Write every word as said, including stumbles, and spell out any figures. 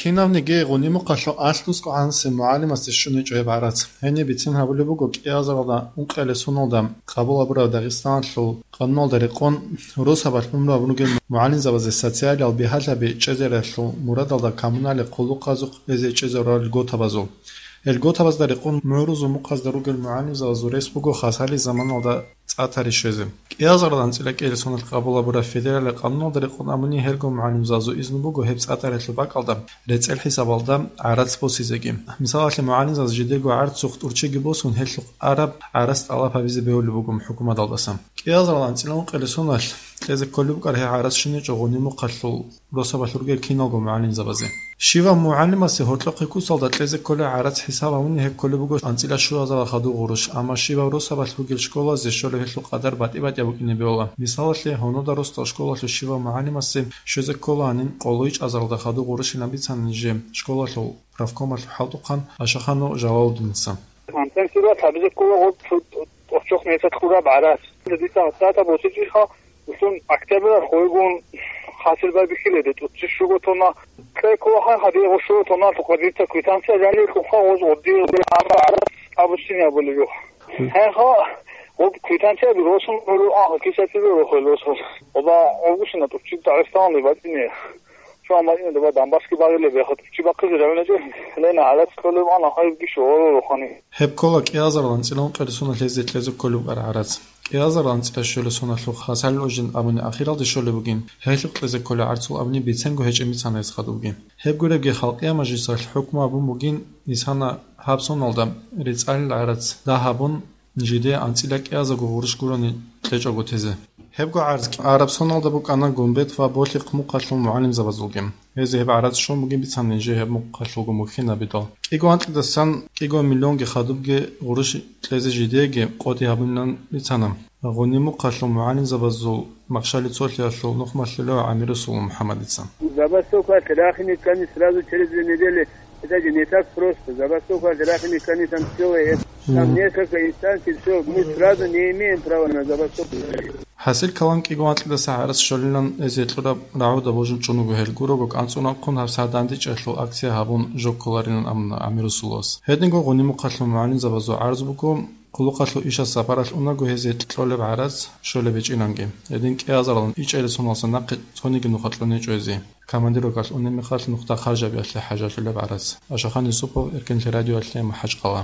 Кинавниги гъуни-мухъалъул алъ-дускӀ гӀанасеб мугӀалимасде щуничӀо гьеб гӀарац. Гьениб бицен гьабулеб буго кӀиазаралда ункъиялде соналда къабул гьабураб Дагъистаналъул къануналда рекъон росабалъ унраб ругел мугӀалимзабазе социалиял бигьалъаби чӀезариялъул мурадалда коммуналияб хъулухъазухъ эзе чӀезарурал льготабазул. Гьел льготабазда рекъон мугӀрузул мухъазда ругел мугӀалимзабазул рес буго хасали заманалда цӀа тари щвезе. КӀиазарал анцӀила кӀиялде соналъ къабул гьабураб федералияб къануналда рекъон абуни, гьелго мугӀалимзабазул изну буго гьеб цӀа таралъул бакӀалда рецӀел хӀисабалда гӀарац босизеги. Мисалалъе, мугӀалимзабаз жидерго гӀарцухъ тӀурччиги босун, гьелъухъ араб гӀарац тӀалаб гьабизе бегьулеб буго хӀукуматалдаса. КӀиазарал анцӀила ункъиялде соналъ кьезе кколеб букӀараб гьеб гӀарац щуничӀо гъуни-мухъалъул росабалъ ругел киналго мугӀалимзабазе. Щивав мугӀалимасе гьоркьохъеб кусалда кьезе кколеб гӀарац хӀисаб гьабуни гьеб кколеб буго анцӀила щуазарал хадуб гъурущ, амма щивав росабалъ бугел школазе щолеб гьелъул къадар батӀи-батӀияб букӀине бегьула. Мисалалъе, гьунуда росдал школалъул щивав мугӀалимасе щвезе ккола гьанин къоло ичӀазаралда хадуб гъурущилан бицана нижее школалъул профкомалъул хӀалтӀухъан Ашаханов Жалалуддиница. Компенсировать гьабизе ккола гъоб цо тӀорччохъ месяц кьураб гӀарац. Дица гьатӀата босичӀеха, Ушун октябрь хойгун хасил байбихьиледе тӀуцци щуго тонна. Кье ккола гьадигъо щуго тонналъухъа дица квитанция жаниб кьухъа гъоз гъоддигъ гӀарац абуссине абулеб. Гьеха, гъоб квитанцияби росун гӀуру, а, кисатизе рохел росул. Оба гъобушина тӀуцци Дагъистаналде батӀине. Чуан батӀине доба Донбасский багъилеб, яха тӀуцци бахъизе равиначӀе, лена гӀарац кколеб ана гьайбги щугъоро рохани. Гьеб ккола кӀиазарал анцӀила ункъиялде соналъ гьезде кьезе кколеб букӀараб гӀарац. КӀиазарал анцӀила щуялде соналъухъ Хасал Лужин абуни ахиралде щолеб бугин, гьелъухъ кьезе кколеб гӀарцул абуни биценго гьечӀеб бицана гьес хадубги. Гьеб гуребги, Халкъияб мажлисалъ хӀукму гьабун бугин, нилъана гьаб соналда рецӀалил гӀарац дагь гьабун, жидее анцӀила кӀиазарго гъурущ гурони кьечӀого тезе. Гьебго гӀарц араб соналда букӀана Гумбет ва Болъихъ мухъалъул мугӀалимзабазулги. Гьезие гьеб гӀарац щун бугин бицана нижее гьеб мухъалъулго мухьинабидал. КӀиго анкьидасан кӀиго миллионги хадубги гъурущ кьезе жидееги къотӀи гьабунилан бицана. Гъуни мухъалъул мугӀалимзабазул Махщали цолъиялъул нухмалъулев ГӀамирусулов МухӀаммадица. Забастовка рахине ккани сразу через две недели. Это же не так просто. Забастовка рахине ккани там целое, там несколько инстанций, все, мы сразу не имеем права на забастовку. ХӀасил калам кӀиго анкьидаса гӀарац щолилан эзе кьураб рагӀуда божун чӀун вуго гьел. Гурого кӀанцӀун рахъун гьабсагӀат дандечӀелъул акция гьабун жо кколарилан абуна ГӀамирусуловас. Гьединго гъуни мухъалъул мугӀалимзабазул гӀарз буго, хъулухъалъул ишас сапаралъ унаго гьезие кьолеб гӀарац щолеб гьечӀинанги. Гьедин кӀиазаралан ичӀелесуналса нахъе цониги нуха кьунечӀо гьезие. Командировкалъ унеб мехалъ нухда харжабиялъе хӀажалъулеб гӀарац. Ашахан Юсупов, Эркенлъи радиоялъе, МахӀачкъала.